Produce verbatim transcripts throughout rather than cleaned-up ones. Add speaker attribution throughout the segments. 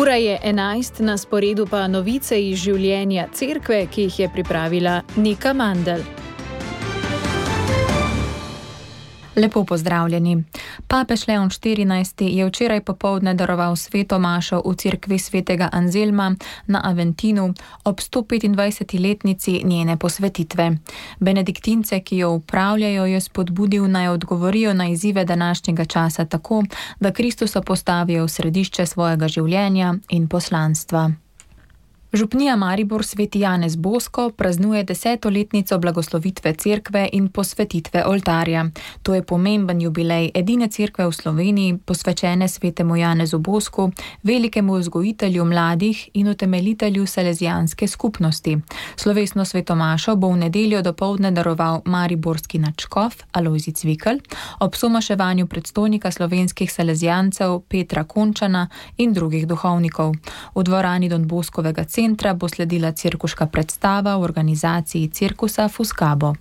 Speaker 1: Ura je enajst, na sporedu pa novice iz življenja cerkve, ki jih je pripravila Nika Mandl.
Speaker 2: Lepo pozdravljeni. Papež Leon štirinajsti je včeraj popoldne daroval sveto mašo v cerkvi svetega Anzelma na Aventinu ob sto petindvajseti letnici njene posvetitve. Benediktince, ki jo upravljajo, je spodbudil naj odgovorijo na izzive današnjega časa tako, da Kristusa postavijo v središče svojega življenja in poslanstva. Župnija Maribor sveti Janez Bosko praznuje desetoletnico blagoslovitve cerkve in posvetitve oltarja. To je pomemben jubilej edine cerkve v Sloveniji, posvečene svetemu Janezu Bosku, velikemu vzgojitelju mladih in utemeljitelju salezijanske skupnosti. Slovesno svetomašo bo v nedeljo dopoldne daroval mariborski nadškof Alojzij Cvikl ob somaševanju predstojnika slovenskih salezijancev Petra Končana in drugih duhovnikov. V dvorani Don Boskovega centra bo sledila cirkuška predstava v organizaciji cirkusa Fuskabo.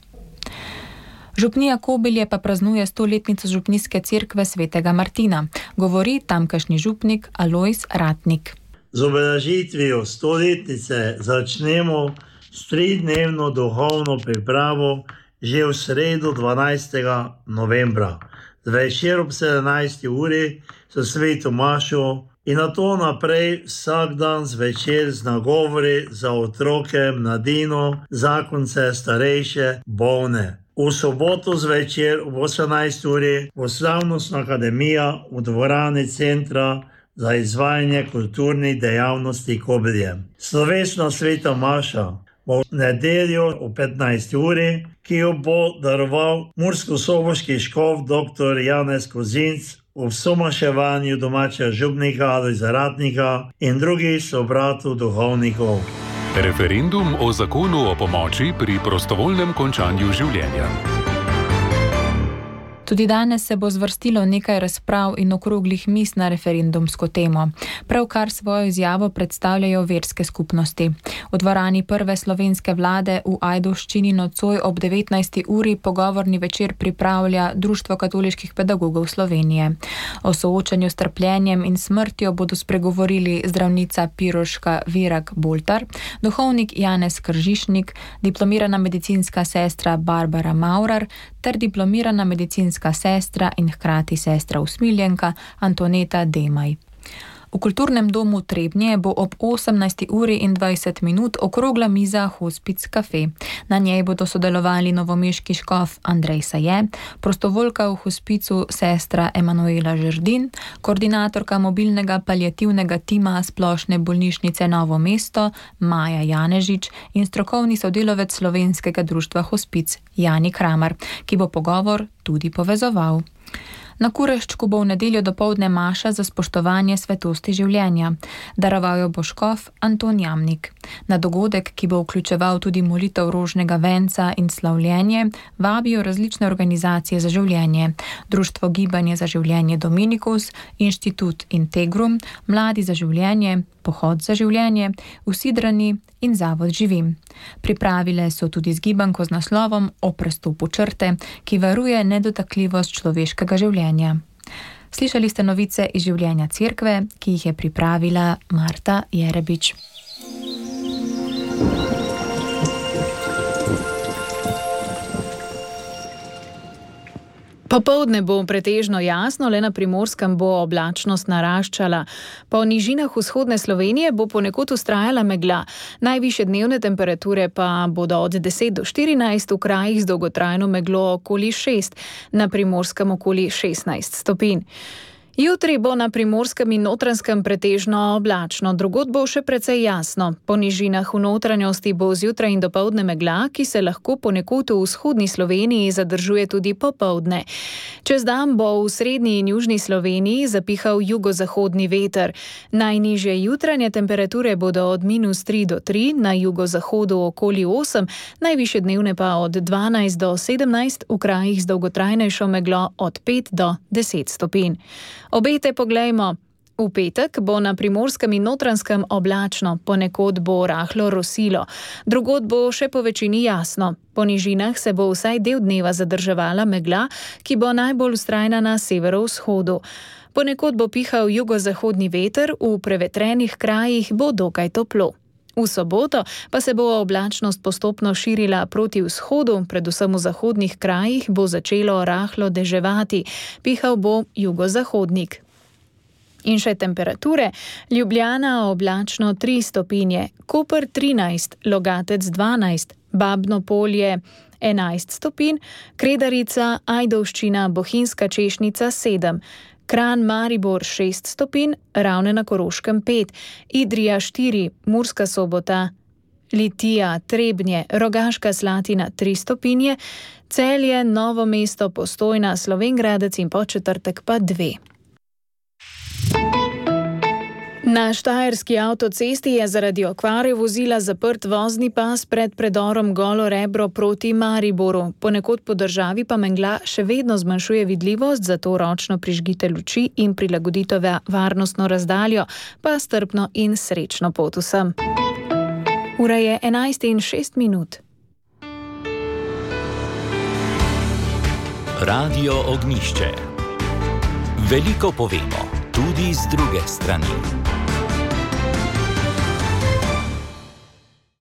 Speaker 2: Župnija Kobilje pa praznuje stoletnico župnijske cerkve svetega Martina, govori tamkajšnji župnik Alojz Ratnik.
Speaker 3: Z obeležitvijo stoletnice začnemo s tridnevno duhovno pripravo že v sredo dvanajstega novembra. Zvečer ob sedemnajsti uri so sveto mašo in na to naprej vsak dan zvečer z nagovori za otroke, mladino, zakonce, starejše, bolne. V soboto zvečer ob osemnajsti uri bo slavnostna akademija v dvorani centra za izvajanje kulturnih dejavnosti Kobilje. Slovesna sveta maša bo v nedeljo ob petnajsti uri, ki jo bo daroval murskosoboški škof dr. Janez Kozinc v somaševanju domačega župnika Alojza Ratnika in drugih sobratov duhovnikov.
Speaker 4: Referendum o zakonu o pomoči pri prostovoljnem končanju življenja.
Speaker 2: Tudi danes se bo zvrstilo nekaj razprav in okroglih miz na referendumsko temo. Pravkar svojo izjavo predstavljajo verske skupnosti. V dvorani prve slovenske vlade v Ajdovščini nocoj ob devetnajsti uri pogovorni večer pripravlja Društvo katoliških pedagogov Slovenije. O soočanju s trpljenjem in smrtjo bodo spregovorili zdravnica Piroška Virag Boltar, duhovnik Janez Kržišnik, diplomirana medicinska sestra Barbara Maurar ter diplomirana medicinska sestra in hkrati sestra usmiljenka Antoneta Demaj. V kulturnem domu Trebnje bo ob osemnajsti uri in dvajset minut okrogla miza Hospic Cafe. Na njej bodo sodelovali novomeški škof Andrej Saje, prostovoljka v hospicu sestra Emanuela Žerdin, koordinatorka mobilnega paliativnega tima Splošne bolnišnice Novo mesto Maja Janežič in strokovni sodelavec Slovenskega društva Hospic Jani Kramar, ki bo pogovor tudi povezoval. Na Kureščku bo v nedeljo dopoldne maša za spoštovanje svetosti življenja. Daroval jo bo škof Anton Jamnik. Na dogodek, ki bo vključeval tudi molitev rožnega venca in slavljenje, vabijo različne organizacije za življenje. Društvo Gibanje za življenje Dominikus, Inštitut Integrum, Mladi za življenje, Pohod za življenje, Usidrani in Zavod Živim. Pripravile so tudi zgibanko z naslovom O prestopu črte, ki varuje nedotakljivost človeškega življenja. Slišali ste novice iz življenja cerkve, ki jih je pripravila Marta Jerebič.
Speaker 1: Popoldne bo pretežno jasno, le na Primorskem bo oblačnost naraščala. Po nižinah vzhodne Slovenije bo ponekod vztrajala megla. Najvišje dnevne temperature pa bodo od deset do štirinajst, v krajih z dolgotrajno meglo okoli šest, na Primorskem okoli šestnajst stopinj. Jutri bo na Primorskem in Notranjskem pretežno oblačno, drugod bo še precej jasno. Po nižinah v notranjosti bo zjutraj in dopoldne megla, ki se lahko ponekod v vzhodni Sloveniji zadržuje tudi popoldne. Čez dan bo v srednji in južni Sloveniji zapihal jugozahodni veter. Najnižje jutranje temperature bodo od minus tri do tri, na jugozahodu okoli osem, najvišje dnevne pa od dvanajst do sedemnajst, v krajih z dolgotrajnejšo meglo od pet do deset stopinj. Obete poglejmo. V petek bo na Primorskem in Notranjskem oblačno, ponekod bo rahlo rosilo, drugod bo še po večini jasno. Po nižinah se bo vsaj del dneva zadrževala megla, ki bo najbolj vztrajna na severovzhodu. Ponekod bo pihal jugozahodni veter, v prevetrenih krajih bo dokaj toplo. V soboto pa se bo oblačnost postopno širila proti vzhodu, predvsem v zahodnih krajih bo začelo rahlo deževati, pihal bo jugozahodnik. In še temperature. Ljubljana oblačno tri stopinje, Koper trinajst, Logatec dvanajst, Babno Polje enajst stopinj, Kredarica, Ajdovščina, Bohinjska Češnica sedem, Kranj, Maribor šest stopinj, Ravne na Koroškem pet, Idrija štiri, Murska Sobota, Litija, Trebnje, Rogaška Slatina tri stopinje, Celje, Novo mesto, Postojna, Slovenj Gradec in Podčetrtek pa dve. Na štajerski avtocesti je zaradi okvare vozila zaprt vozni pas pred predorom Golo Rebro proti Mariboru. Ponekod po državi pa megla še vedno zmanjšuje vidljivost, zato ročno prižgite luči in prilagodite varnostno razdaljo, pa strpno in srečno pot vsem. Ura je enajst in šest minut.
Speaker 5: Radio Ognjišče. Veliko povemo, tudi z druge strani.